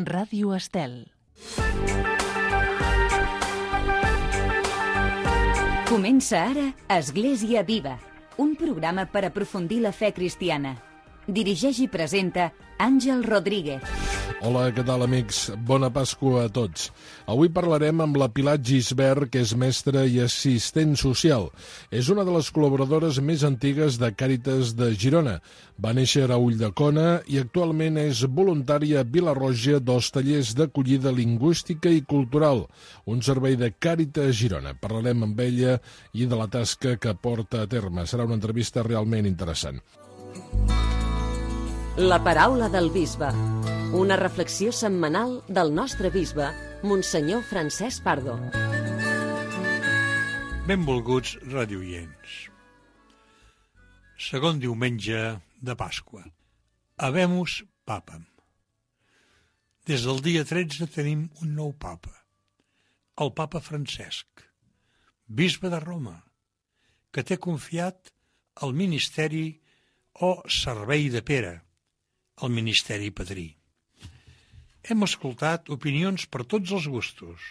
Ràdio Estel. Comença ara Església Viva, un programa per aprofundir la fe cristiana. Dirigeix i presenta Àngel Rodríguez. Hola, què tal, amics? Bona Pasqua a tots. Avui parlarem amb la Pilar Gisbert, que és mestra i assistent social. És una de les col·laboradores més antigues de Càritas de Girona. Va néixer a Ulldecona i actualment és voluntària a Vila-roja dels tallers d'acollida lingüística i cultural, un servei de Càritas Girona. Parlarem amb ella i de la tasca que porta a terme. Serà una entrevista realment interessant. La paraula del bisbe. Una reflexió setmanal del nostre bisbe, Monsenyor Francesc Pardo. Benvolguts radioients. Segon diumenge de Pasqua. Habemus Papam. Des del dia 13 tenim un nou papa, el papa Francesc, bisbe de Roma, que té confiat el ministeri o servei de Pere, el ministeri padrí. Hem escoltat opinions per tots els gustos.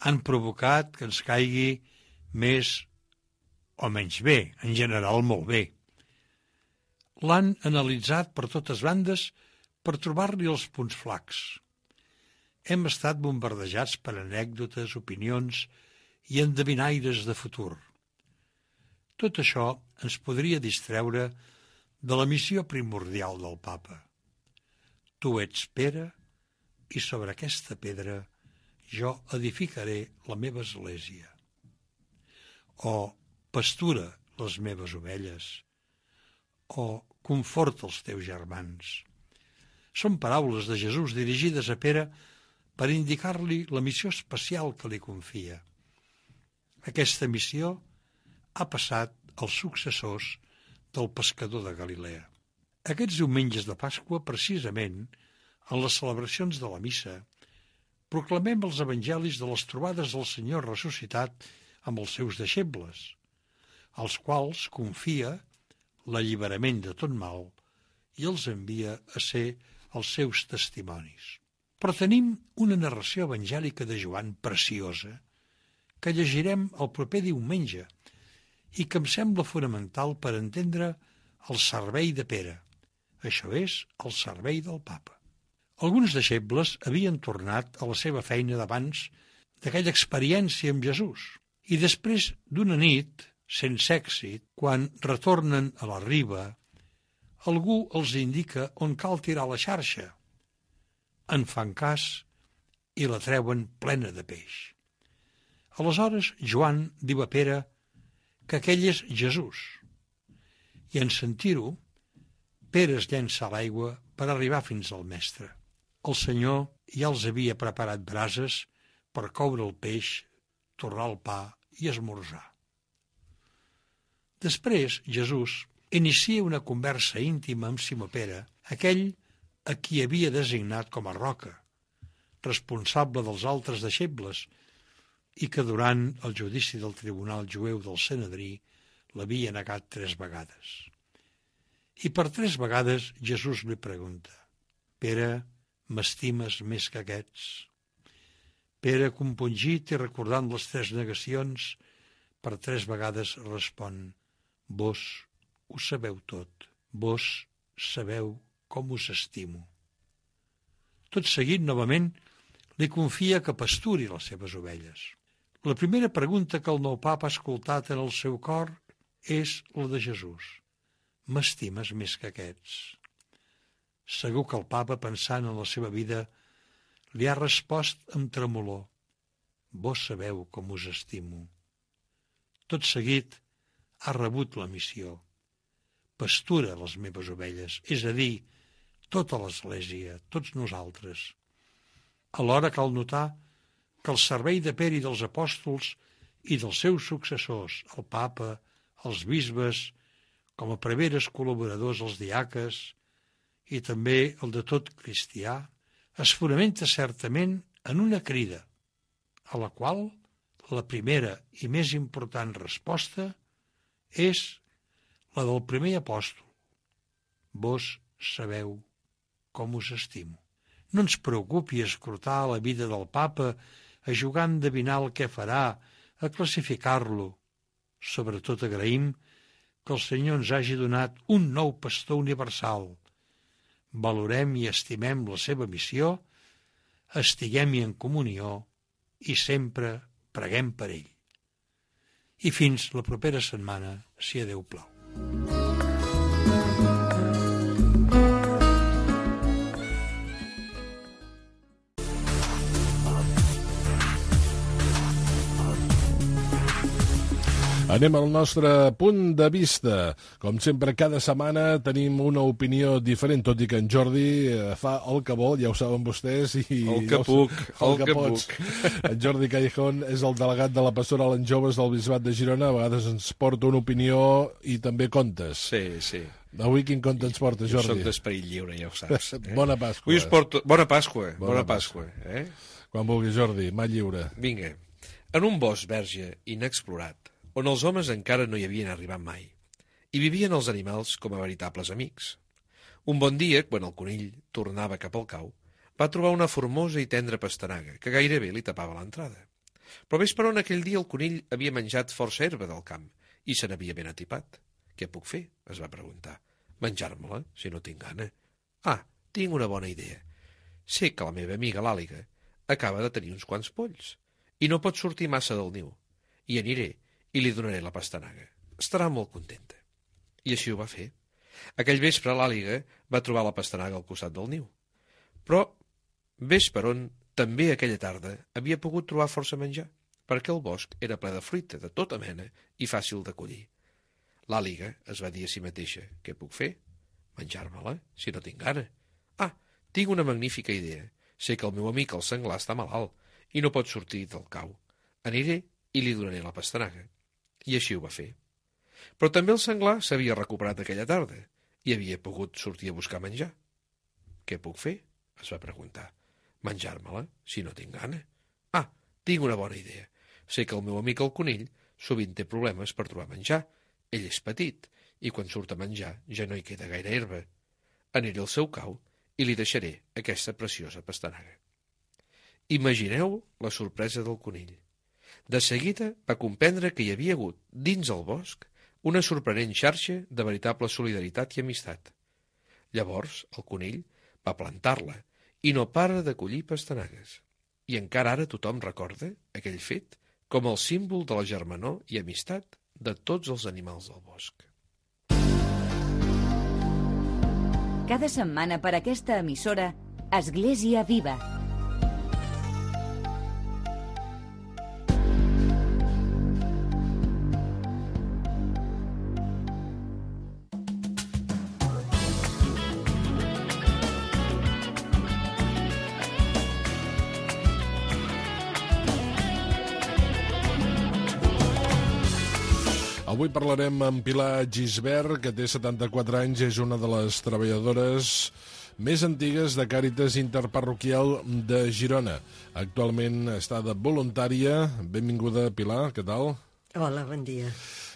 Han provocat que ens caigui més o menys bé, en general molt bé. L'han analitzat per totes bandes per trobar-li els punts flacs. Hem estat bombardejats per anècdotes, opinions i endevinaires de futur. Tot això ens podria distreure de la missió primordial del papa. Tu ets Pere, i sobre aquesta pedra jo edificaré la meva església. O pastura les meves ovelles, o conforta els teus germans. Són paraules de Jesús dirigides a Pere per indicar-li la missió especial que li confia. Aquesta missió ha passat als successors del pescador de Galilea. Aquests diumenges de Pasqua, precisament, en les celebracions de la missa, proclamem els evangelis de les trobades del Senyor ressuscitat amb els seus deixebles, als quals confia l'alliberament de tot mal i els envia a ser els seus testimonis. Però tenim una narració evangèlica de Joan preciosa que llegirem el proper diumenge i que em sembla fonamental per entendre el servei de Pere. Això és el servei del papa. Alguns deixebles havien tornat a la seva feina d'abans d'aquella experiència amb Jesús i després d'una nit, sense èxit, quan retornen a la riba, algú els indica on cal tirar la xarxa. En fan cas i la treuen plena de peix. Aleshores Joan diu a Pere que aquell és Jesús i en sentir-ho, Pere es llença a l'aigua per arribar fins al mestre. El Senyor ja els havia preparat brases per coure el peix, torrar el pa i esmorzar. Després, Jesús inicia una conversa íntima amb Simó Pere, aquell a qui havia designat com a roca, responsable dels altres deixebles, i que durant el judici del tribunal jueu del Sanedrí l'havia negat 3 vegades. I per 3 vegades Jesús li pregunta: Pere, m'estimes més que aquests? Pere, compungit i recordant les 3 negacions, per 3 vegades respon: Vos ho sabeu tot, vos sabeu com us estimo. Tot seguit, novament, li confia que pasturi les seves ovelles. La primera pregunta que el nou papa ha escoltat en el seu cor és la de Jesús: m'estimes més que aquests? Segur que el papa, pensant en la seva vida, li ha respost amb tremolor: vos sabeu com us estimo. Tot seguit ha rebut la missió: pastura les meves ovelles, és a dir, tota l'Església, tots nosaltres. Alhora cal notar que el servei de Pere i dels apòstols i dels seus successors, el papa, els bisbes, com a preveres col·laboradors els diaques i també el de tot cristià, es fonamenta certament en una crida, a la qual la primera i més important resposta és la del primer apòstol: vos sabeu com us estimo. No ens preocupi escrutar la vida del papa, a jugar a endevinar el què farà, a classificar-lo. Sobretot agraïm que el Senyor ens hagi donat un nou pastor universal. Valorem i estimem la seva missió, estiguem-hi en comunió i sempre preguem per ell. I fins la propera setmana, si a Déu plau. Anem al nostre punt de vista. Com sempre, cada setmana tenim una opinió diferent, tot i que en Jordi fa el que vol, ja ho saben vostès. I el que puc, el que puc. En Jordi Callejón és el delegat de la Pastoral en Joves del Bisbat de Girona. A vegades ens porta una opinió i també contes. Sí. Avui quin conte ens porta, Jordi? Jo soc d'esperit lliure, ja ho saps. Bona Pasqua. Avui us porto... Bona Pasqua. Quan vulgui, Jordi, mà lliure. Vinga. En un bosc verge inexplorat, on els homes encara no hi havien arribat mai. Hi vivien els animals com a veritables amics. Un bon dia, quan el conill tornava cap al cau, va trobar una formosa i tendra pastanaga que gairebé li tapava l'entrada. Però ves per on aquell dia el conill havia menjat força herba del camp i se n'havia ben atipat. Què puc fer? Es va preguntar. Menjar-me-la, si no tinc gana. Tinc una bona idea. Sé que la meva amiga l'àliga acaba de tenir uns quants polls i no pot sortir massa del niu. I aniré i li donaré la pastanaga. Estarà molt contenta. I així ho va fer. Aquell vespre l'àliga va trobar la pastanaga al costat del niu. Però, ves per on, també aquella tarda havia pogut trobar força menjar, perquè el bosc era ple de fruita de tota mena i fàcil de collir. L'àliga es va dir a si mateixa: què puc fer? Menjar-me-la, si no tinc gana. Tinc una magnífica idea. Sé que el meu amic el senglar està malalt i no pot sortir del cau. Aniré i li donaré la pastanaga. I així ho va fer. Però també el senglar s'havia recuperat aquella tarda i havia pogut sortir a buscar menjar. Què puc fer? Es va preguntar. Menjar-me-la, si no tinc gana. Tinc una bona idea. Sé que el meu amic el conill sovint té problemes per trobar menjar. Ell és petit i quan surt a menjar ja no hi queda gaire herba. Aniré al seu cau i li deixaré aquesta preciosa pastanaga. Imagineu la sorpresa del conill. De seguida va comprendre que hi havia hagut, dins el bosc, una sorprenent xarxa de veritable solidaritat i amistat. Llavors, el conill va plantar-la i no para de collir pastanagues. I encara ara tothom recorda aquell fet com el símbol de la germanor i amistat de tots els animals del bosc. Cada setmana per aquesta emissora, Església Viva. Avui parlarem amb Pilar Gisbert, que té 74 anys, és una de les treballadores més antigues de Càritas Interparroquial de Girona. Actualment està de voluntària. Benvinguda, Pilar, què tal? Hola, bon dia.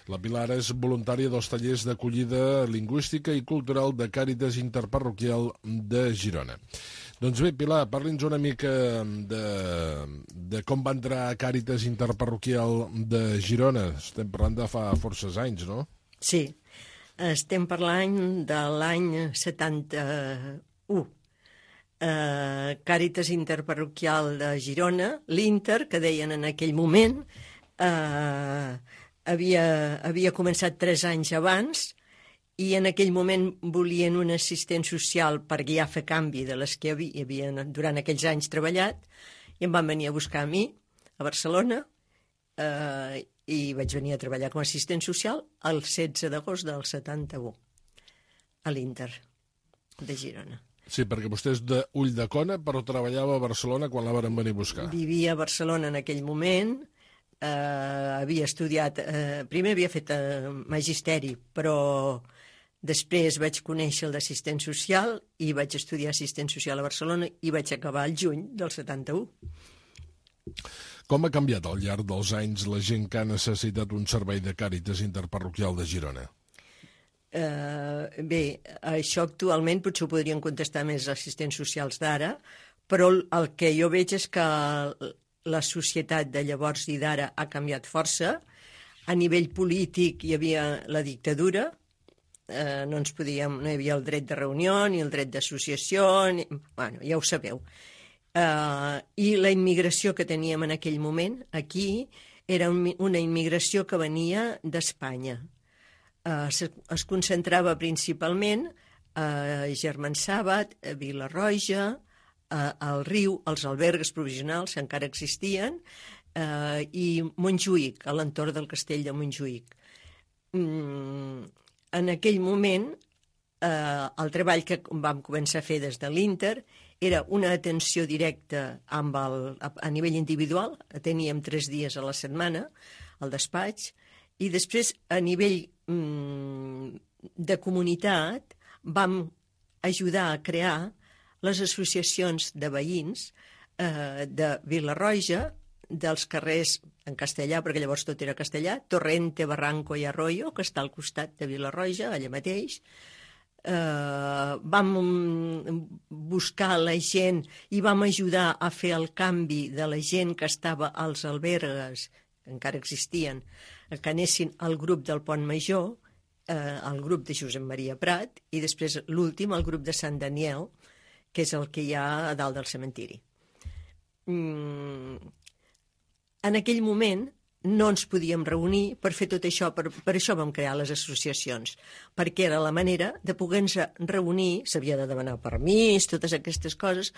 La Pilar és voluntària dels tallers d'acollida lingüística i cultural de Càritas Interparroquial de Girona. Doncs bé, Pilar, parli'ns una mica de com va entrar a Càritas Interparroquial de Girona. Estem parlant de fa forces anys, no? Sí, estem parlant de l'any 71. Càritas Interparroquial de Girona, l'Inter, que deien en aquell moment, havia començat 3 anys abans i en aquell moment volien un assistent social per guiar a fer canvi de les que havien durant aquells anys treballat i em van venir a buscar a mi, a Barcelona, i vaig venir a treballar com a assistent social el 16 d'agost del 71 a l'Inter de Girona. Sí, perquè vostè és d'Ulldecona, però treballava a Barcelona quan la varen venir a buscar. Vivia a Barcelona en aquell moment, havia estudiat, primer havia fet magisteri, però després vaig conèixer el d'assistent social i vaig estudiar assistent social a Barcelona i vaig acabar el juny del 71. Com ha canviat al llarg dels anys la gent que ha necessitat un servei de Càritas Interparroquial de Girona? Bé, això actualment potser ho podrien contestar més assistents socials d'ara, Però el que jo veig és que la societat de llavors i d'ara ha canviat força. A nivell polític hi havia la dictadura, no hi havia el dret de reunió ni el dret d'associació, bueno, ja ho sabeu. I la immigració que teníem en aquell moment aquí era una immigració que venia d'Espanya. Es concentrava principalment a Germansàbat, a Vila-roja, al Riu, els albergues provisionals que encara existien, i Montjuïc, a l'entorn del castell de Montjuïc. En aquell moment, el treball que vam començar a fer des de l'Inter era una atenció directa a nivell individual, teníem 3 dies a la setmana al despatx, i després a nivell de comunitat vam ajudar a crear les associacions de veïns de Vila-roja, dels carrers en castellà, perquè llavors tot era castellà, Torrente, Barranco i Arroyo, que està al costat de Vila-roja, allà mateix. Vam buscar la gent i vam ajudar a fer el canvi de la gent que estava als albergues, que encara existien, que anessin al grup del Pont Major, el grup de Josep Maria Prat, i després l'últim, el grup de Sant Daniel, que és el que hi ha a dalt del cementiri. En aquell moment no ens podíem reunir per fer tot això, per això vam crear les associacions, perquè era la manera de poder-nos reunir, s'havia de demanar permís, totes aquestes coses,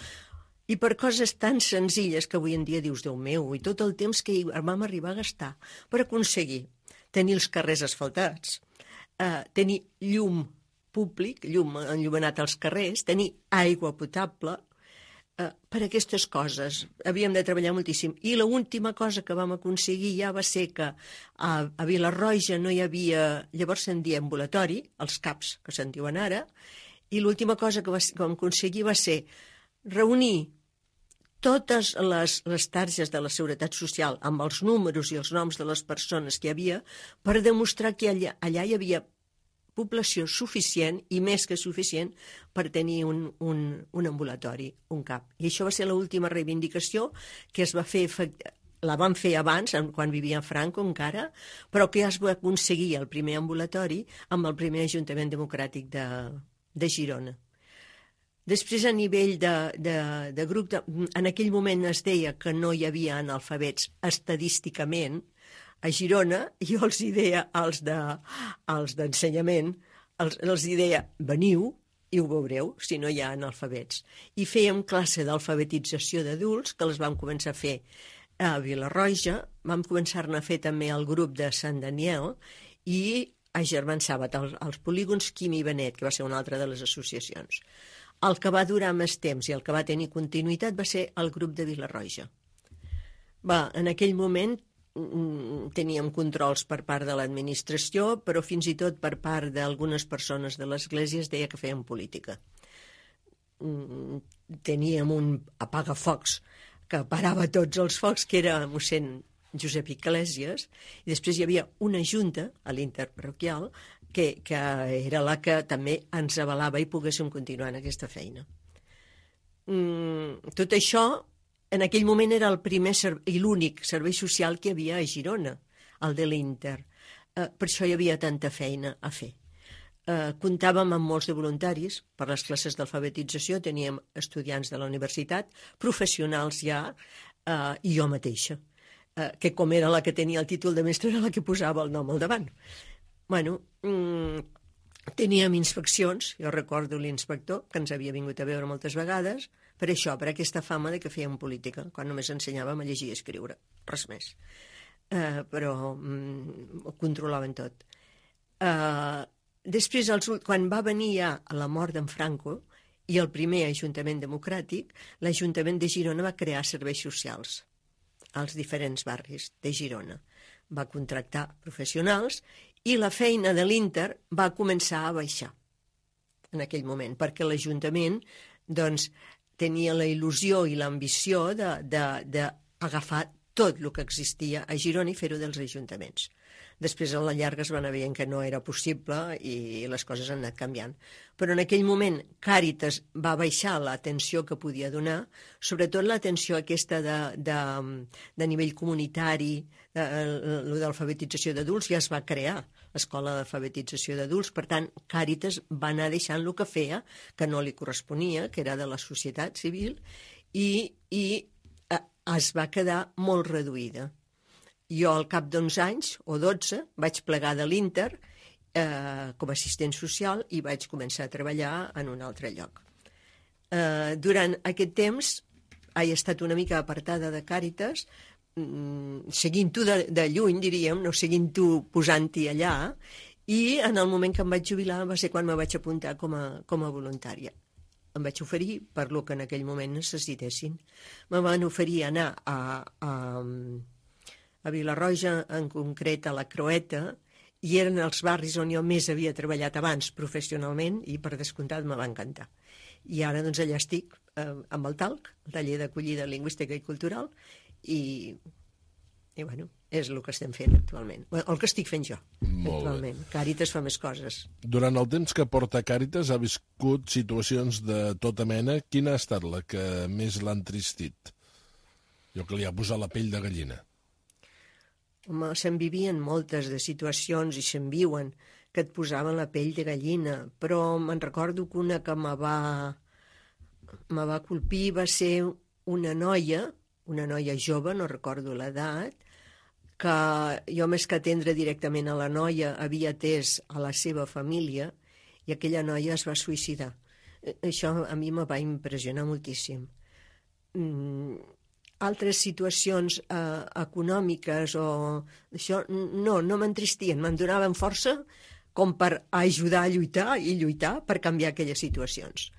i per coses tan senzilles que avui en dia dius, Déu meu, i tot el temps que vam arribar a gastar per aconseguir tenir els carrers asfaltats, tenir llum públic, llum enllumenat als carrers, tenir aigua potable. Per aquestes coses havíem de treballar moltíssim. I l'última cosa que vam aconseguir ja va ser que a Vila-roja no hi havia, llavors se'n deia ambulatori, els CAPs que se'n diuen ara, i l'última cosa que vam aconseguir va ser reunir totes les targes de la Seguretat Social amb els números i els noms de les persones que hi havia per demostrar que allà hi havia població suficient i més que suficient per tenir un ambulatori, un CAP. I això va ser l'última reivindicació que es va fer, la van fer abans, quan vivia Franco encara, però que ja es va aconseguir el primer ambulatori amb el primer Ajuntament Democràtic de Girona. Després, a nivell de grup, en aquell moment es deia que no hi havia analfabets estadísticament. A Girona, jo els deia als d'ensenyament, els deia, veniu i ho veureu, si no hi ha analfabets. I fèiem classe d'alfabetització d'adults, que les vam començar a fer a Vila-roja, vam començar-ne a fer també el grup de Sant Daniel i a Germansàbat, als polígons Quim i Benet, que va ser una altra de les associacions. El que va durar més temps i el que va tenir continuïtat va ser el grup de Vila-roja. En aquell moment teníem controls per part de l'administració, però fins i tot per part d'algunes persones de l'Església es deia que feien política. Teníem un apagafocs que parava tots els focs, que era mossèn Josep Iglesias, i després hi havia una junta a l'interparroquial que era la que també ens avalava i poguéssim continuar en aquesta feina. Tot això en aquell moment era el primer i l'únic servei social que hi havia a Girona, el de l'Inter. Per això hi havia tanta feina a fer. Comptàvem amb molts de voluntaris per les classes d'alfabetització, teníem estudiants de la universitat, professionals ja, i jo mateixa, que com era la que tenia el títol de mestre era la que posava el nom al davant. Teníem inspeccions, jo recordo l'inspector, que ens havia vingut a veure moltes vegades, per això, per aquesta fama de que fèiem política, quan només ensenyàvem a llegir i escriure, res més. Però ho controlaven tot. Després, quan va venir ja la mort d'en Franco i el primer Ajuntament Democràtic, l'Ajuntament de Girona va crear serveis socials als diferents barris de Girona. Va contractar professionals i la feina de l'Inter va començar a baixar en aquell moment, perquè l'Ajuntament tenia la il·lusió i l'ambició d'agafar tot el que existia a Girona i fer-ho dels ajuntaments. Després, a la llarga, es va anar veient que no era possible i les coses han anat canviant. Però en aquell moment, Càritas va baixar l'atenció que podia donar, sobretot l'atenció aquesta de nivell comunitari, l'alfabetització d'adults, ja es va crear l'escola d'alfabetització d'adults. Per tant, Càritas va anar deixant el que feia, que no li corresponia, que era de la societat civil, i es va quedar molt reduïda. Jo, al cap d'11 anys, o 12, vaig plegar de l'Inter com a assistent social i vaig començar a treballar en un altre lloc. Durant aquest temps he estat una mica apartada de Càritas, seguint-ho de lluny, diríem, no seguint-ho posant-hi allà, i en el moment que em vaig jubilar va ser quan me vaig apuntar com a voluntària. Em vaig oferir per lo que en aquell moment necessitessin. Me van oferir anar a Vilarroja, en concret a la Croeta, i eren els barris on jo més havia treballat abans professionalment i per descomptat me va encantar. I ara doncs allà estic amb el TALC, el taller d'acollida lingüística i cultural, i bueno, és el que estem fent actualment. El que estic fent jo, actualment. Càritas fa més coses. Durant el temps que porta Càritas ha viscut situacions de tota mena. Quina ha estat la que més l'ha entristit? Jo que li ha posat la pell de gallina. Home, se'n vivien moltes de situacions i se'n viuen que et posaven la pell de gallina, però me'n recordo que una que me va colpir va ser una noia jove, no recordo l'edat, que jo més que atendre directament a la noia havia atès a la seva família i aquella noia es va suïcidar. Això a mi me va impressionar moltíssim. Altres situacions econòmiques o això no m'entristien, me'n donaven força com per ajudar a lluitar i lluitar per canviar aquelles situacions.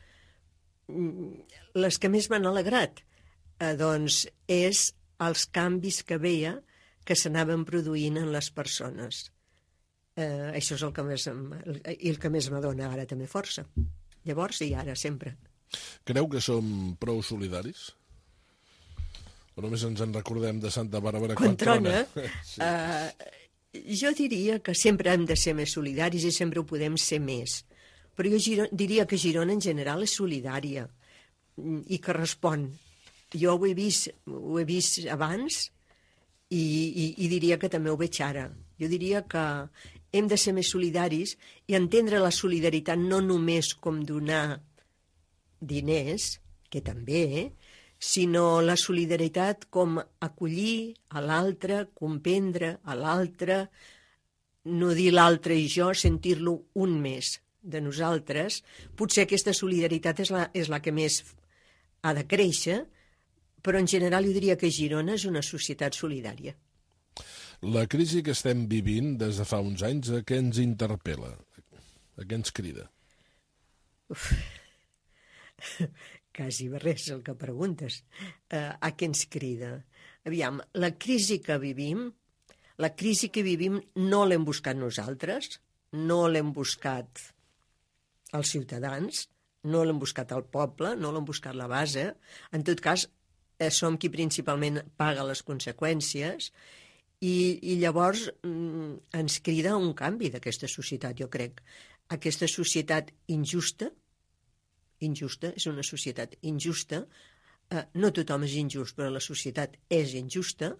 Les que més m'han alegrat doncs és els canvis que veia que s'anaven produint en les persones. Això és el que més m'adona ara també força. Llavors i ara, sempre. Creu que som prou solidaris? O només ens en recordem de Santa Bàrbara quan trona? Sí. Jo diria que sempre hem de ser més solidaris i sempre ho podem ser més. Però jo diria que Girona en general és solidària i que respon. Jo ho he vist abans i diria que també ho veig ara. Jo diria que hem de ser més solidaris i entendre la solidaritat no només com donar diners, que també, sinó la solidaritat com acollir a l'altre, comprendre a l'altre, no dir l'altre i jo, sentir-lo un més de nosaltres. Potser aquesta solidaritat és la que més ha de créixer, però en general jo diria que Girona és una societat solidària. La crisi que estem vivint des de fa uns anys, a què ens interpel·la? A què ens crida? Quasi res el que preguntes. A què ens crida? Aviam, la crisi que vivim no l'hem buscat nosaltres, no l'hem buscat els ciutadans, no l'hem buscat el poble, no l'hem buscat la base. En tot cas, som qui principalment paga les conseqüències i llavors ens crida un canvi d'aquesta societat, jo crec. Aquesta societat injusta, és una societat injusta, no tothom és injust, però la societat és injusta,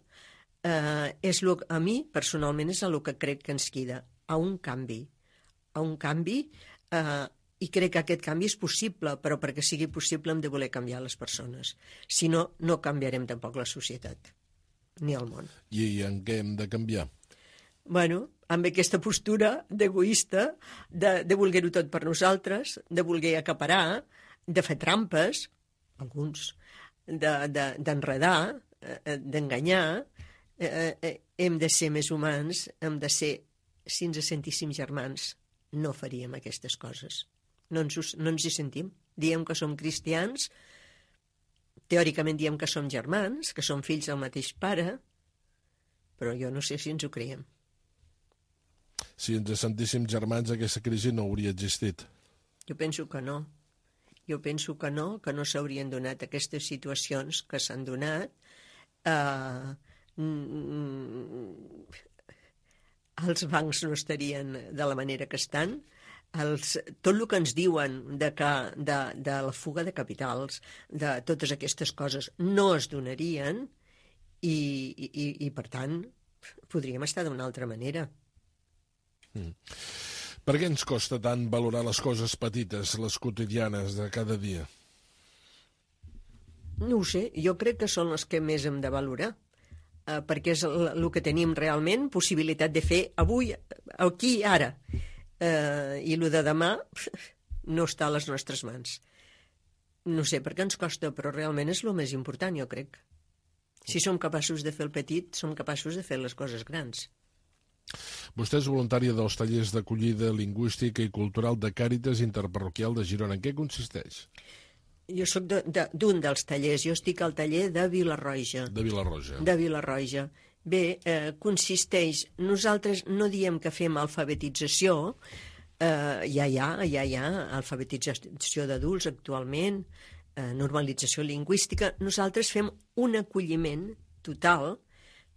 a mi, personalment, és el que crec que ens crida, a un canvi, i crec que aquest canvi és possible, però perquè sigui possible hem de voler canviar les persones. Si no, no canviarem tampoc la societat, ni el món. I en què hem de canviar? Bueno, amb aquesta postura d'egoista, de voler-ho tot per nosaltres, de voler acaparar, de fer trampes, alguns, d'enredar, d'enganyar, hem de ser més humans, hem de ser, si ens sentíssim germans, no faríem aquestes coses. No ens hi sentim. Diem que som cristians, teòricament diem que som germans, que som fills del mateix pare, però jo no sé si ens ho creiem. Si ens sentíssim germans, aquesta crisi no hauria existit. Jo penso que no. Que no s'haurien donat aquestes situacions que s'han donat. els bancs no estarien de la manera que estan, tot el que ens diuen de la fuga de capitals, de totes aquestes coses, no es donarien i per tant, podríem estar d'una altra manera. Per què ens costa tant valorar les coses petites, les quotidianes de cada dia? No ho sé, jo crec que són les que més hem de valorar, perquè és el que tenim realment possibilitat de fer avui, aquí, ara. I el de demà no està a les nostres mans. No sé per què ens costa, però realment és el més important, jo crec. Si som capaços de fer el petit, som capaços de fer les coses grans. Vostè és voluntària dels tallers d'acollida lingüística i cultural de Càritas Interparroquial de Girona. En què consisteix? Jo sóc d'un dels tallers. Jo estic al taller de Vila-roja. De Vila-roja. De Vila-roja. Bé, consisteix... Nosaltres no diem que fem alfabetització. Ja hi ha alfabetització d'adults actualment, normalització lingüística. Nosaltres fem un acolliment total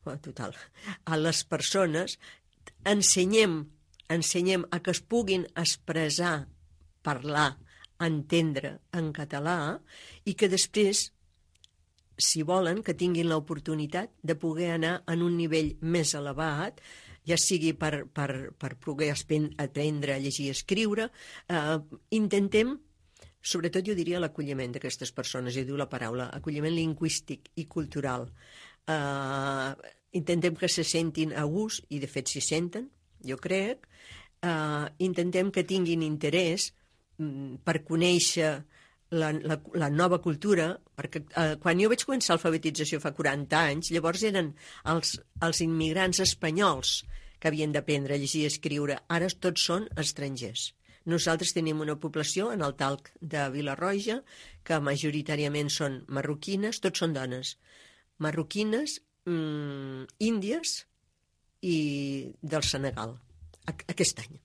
a les persones, ensenyem a que es puguin expressar, parlar, entendre en català i que després, si volen, que tinguin l'oportunitat de poder anar en un nivell més elevat, ja sigui per poder aprendre a llegir i escriure. Intentem, sobretot jo diria l'acolliment d'aquestes persones, jo diu la paraula, acolliment lingüístic i cultural. Intentem que se sentin a gust, i de fet s'hi senten, jo crec. Intentem que tinguin interès per conèixer la nova cultura, perquè quan jo vaig començar l'alfabetització fa 40 anys, llavors eren els immigrants espanyols que havien d'aprendre a llegir i escriure. Ara tots són estrangers. Nosaltres tenim una població en el Talc de Vila-roja que majoritàriament són marroquines, tots són dones. Marroquines, índies i del Senegal, aquest any.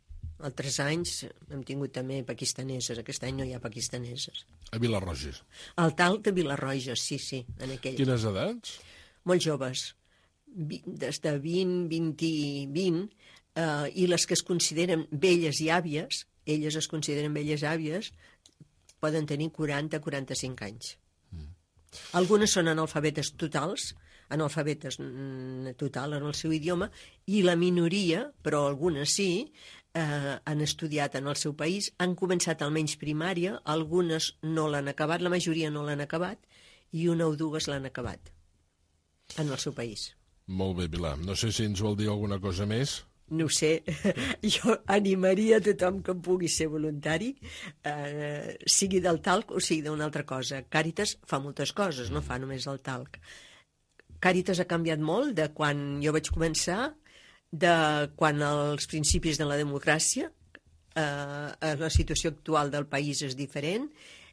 Altres anys hem tingut també pakistaneses, aquest any no hi ha pakistaneses. A Vila-roja. Al Talc de Vila-roja, sí, en aquell. Quines edats? Molt joves, des de 20, i les que es consideren velles i àvies, elles es consideren velles àvies, poden tenir 40-45 anys. Algunes són analfabetes totals, analfabetes total en el seu idioma, i la minoria, però algunes sí, han estudiat en el seu país, han començat almenys primària, algunes no l'han acabat, la majoria no l'han acabat, i una o dues l'han acabat en el seu país. Molt bé, Pilar. No sé si ens vol dir alguna cosa més. No ho sé, jo animaria a tothom que pugui ser voluntari, sigui del talc o sigui d'una altra cosa. Càritas fa moltes coses, no fa només el talc. Càritas ha canviat molt de quan jo vaig començar, de quan als principis de la democràcia, la situació actual del país és diferent,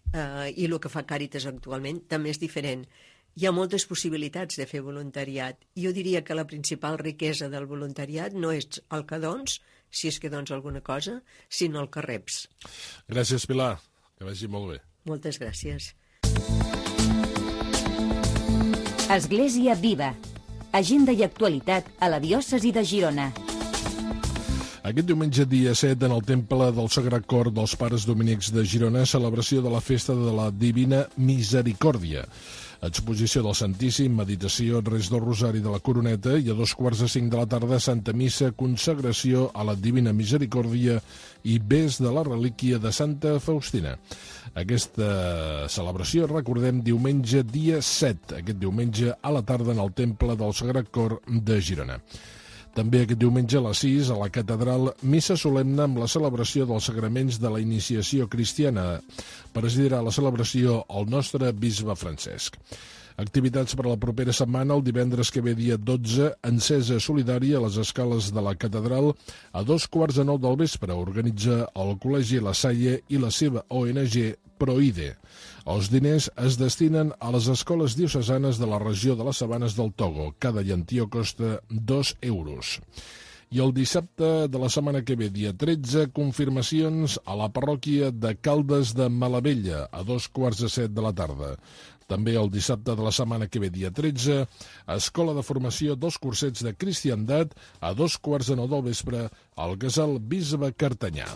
i el que fa Càritas actualment també és diferent. Hi ha moltes possibilitats de fer voluntariat. Jo diria que la principal riquesa del voluntariat no és el que dons, si és que dons alguna cosa, sinó el que reps. Gràcies, Pilar. Que vagi molt bé. Moltes gràcies. Església Viva. Agenda i actualitat a la diòcesi de Girona. Aquest diumenge, dia 7, en el Temple del Sagrat Cor dels Pares Dominics de Girona, celebració de la Festa de la Divina Misericòrdia. Exposició del Santíssim, meditació, res del Rosari de la Coroneta i a 4:45 de la tarda, Santa Missa, consagració a la Divina Misericòrdia i bes de la relíquia de Santa Faustina. Aquesta celebració, recordem, diumenge dia 7, aquest diumenge a la tarda en el Temple del Sagrat Cor de Girona. També aquest diumenge a les 6, a la catedral, missa solemne amb la celebració dels sagraments de la iniciació cristiana. Presidirà la celebració el nostre bisbe Francesc. Activitats per a la propera setmana, el divendres que ve dia 12, encesa solidària a les escales de la catedral a 9:15 del vespre. Organitza el Col·legi La Salle i la seva ONG Proide. Els diners es destinen a les escoles diocesanes de la regió de les Sabanes del Togo. Cada llentia costa 2 euros. I el dissabte de la setmana que ve, dia 13, confirmacions a la parròquia de Caldes de Malavella, a 7:15 de la tarda. També el dissabte de la setmana que ve, dia 13, Escola de Formació dels Cursets de Cristiandat a 2:15 del vespre al Casal Bisbe Cartanyà.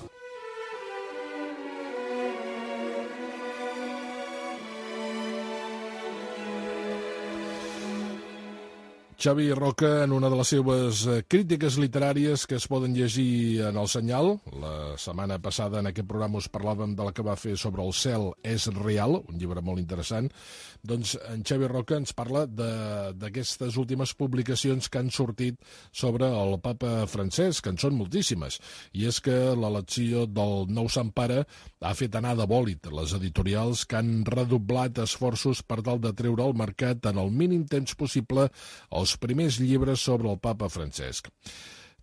Xavi Roca, en una de les seves crítiques literàries que es poden llegir en El Senyal. La setmana passada en aquest programa us parlàvem de la que va fer sobre El cel és real, un llibre molt interessant. Doncs en Xavi Roca ens parla d'aquestes últimes publicacions que han sortit sobre el papa Francesc, que en són moltíssimes. I és que l'elecció del nou Sant Pare ha fet anar de bòlit les editorials que han redoblat esforços per tal de treure al mercat en el mínim temps possible els primers llibres sobre el papa Francesc.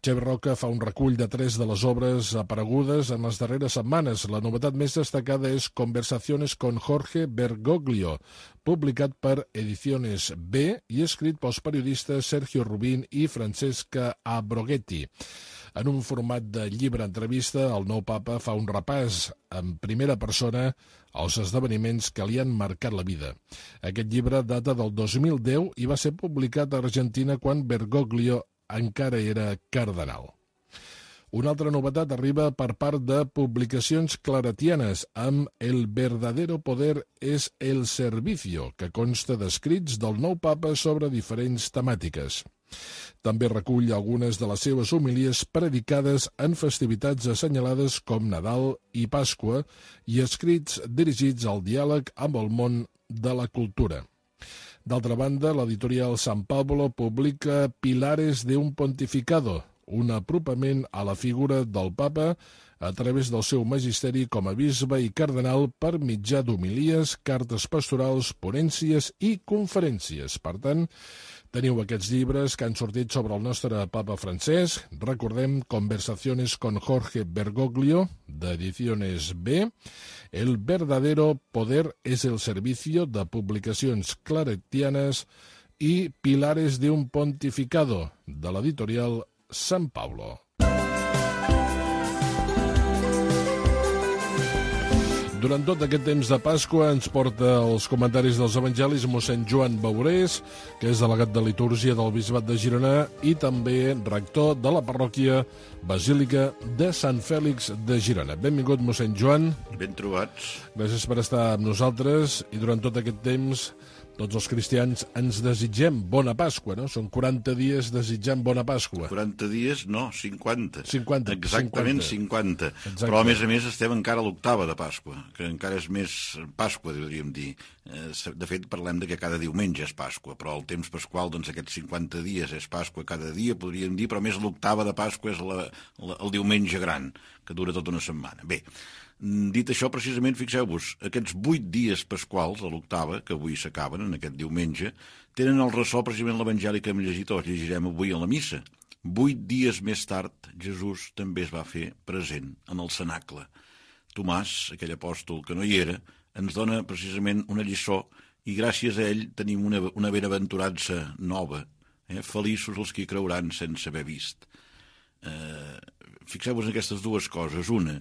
Xavi Roca fa un recull de 3 de les obres aparegudes en les darreres setmanes. La novetat més destacada és Conversaciones con Jorge Bergoglio, publicat per Ediciones B i escrit pels periodistes Sergio Rubín i Francesca Abroghetti. En un format de llibre-entrevista, el nou papa fa un repàs en primera persona als esdeveniments que li han marcat la vida. Aquest llibre data del 2010 i va ser publicat a Argentina quan Bergoglio encara era cardenal. Una altra novetat arriba per part de Publicacions Claretianes amb El verdadero poder es el servicio, que consta d'escrits del nou papa sobre diferents temàtiques. També recull algunes de les seves homilies predicades en festivitats assenyalades com Nadal i Pasqua i escrits dirigits al diàleg amb el món de la cultura. D'altra banda, l'editorial San Pablo publica Pilares de un pontificado, un apropament a la figura del papa a través del seu magisteri com a bisbe i cardenal per mitjà d'homilies, cartes pastorals, ponències i conferències. Per tant, teniu aquests llibres que han sortit sobre el nostre papa Francesc. Recordem Conversaciones con Jorge Bergoglio, d'Ediciones B, El verdadero poder es el servicio, de Publicacions Claretianes, i Pilares de un pontificado, de l'editorial San Pablo. Durant tot aquest temps de Pasqua ens porta els comentaris dels evangelis mossèn Joan Baurés, que és delegat de litúrgia del Bisbat de Girona i també rector de la parròquia Basílica de Sant Fèlix de Girona. Benvingut, mossèn Joan. Ben trobats. Gràcies per estar amb nosaltres i durant tot aquest temps tots els cristians ens desitgem bona Pasqua, no? Són 40 dies desitjant bona Pasqua. 40 dies, no, 50. 50. Exactament 50. Exacte. Però, a més, estem encara a l'octava de Pasqua, que encara és més Pasqua, podríem dir. De fet, parlem de que cada diumenge és Pasqua, però el temps pasqual, doncs, aquests 50 dies és Pasqua cada dia, podríem dir, però més l'octava de Pasqua és el diumenge gran, que dura tota una setmana. Bé, dit això, precisament, fixeu-vos, aquests 8 dies pasquals, a l'octava, que avui s'acaben, en aquest diumenge, tenen el ressò precisament l'evangeli que hem llegit, o llegirem avui a la missa. 8 dies més tard, Jesús també es va fer present en el cenacle. Tomàs, aquell apòstol que no hi era, ens dona precisament una lliçó i gràcies a ell tenim una benaventurança nova. Feliços els que creuran sense haver vist. Fixeu-vos en aquestes dues coses. Una,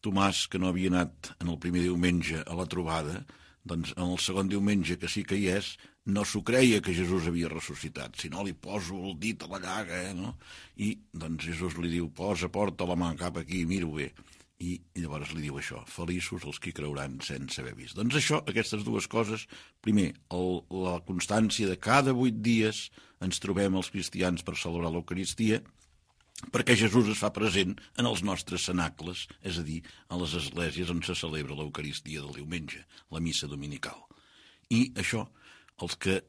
Tomàs, que no havia anat en el primer diumenge a la trobada, doncs en el segon diumenge, que sí que hi és, no s'ho creia que Jesús havia ressuscitat, si no li poso el dit a la llaga, no? I doncs Jesús li diu, porta la mà cap aquí, miro bé. I llavors li diu això, feliços els que creuran sense haver vist. Doncs això, aquestes dues coses, primer, la constància de cada 8 dies ens trobem els cristians per celebrar l'Eucaristia, perquè Jesús es fa present en els nostres cenacles, és a dir, a les esglésies on se celebra l'Eucaristia del diumenge, la missa dominical. I això, els que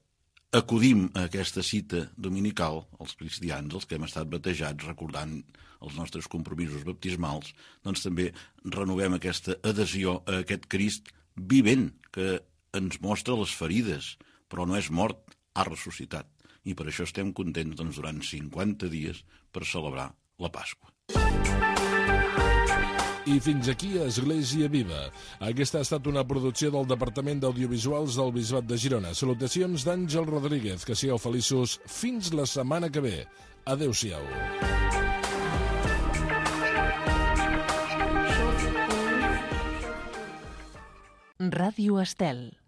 acudim a aquesta cita dominical, els cristians, els que hem estat batejats, recordant els nostres compromisos baptismals, doncs també renovem aquesta adhesió a aquest Crist vivent, que ens mostra les ferides, però no és mort, ha ressuscitat. I per això estem contents doncs, durant 50 dies per celebrar la Pasqua. I fins aquí Església Viva. Aquesta ha estat una producció del Departament d'Audiovisuals del Bisbat de Girona. Salutacions d'Àngel Rodríguez. Que sigueu feliços fins la setmana que ve. Adéu-siau. Ràdio Estel.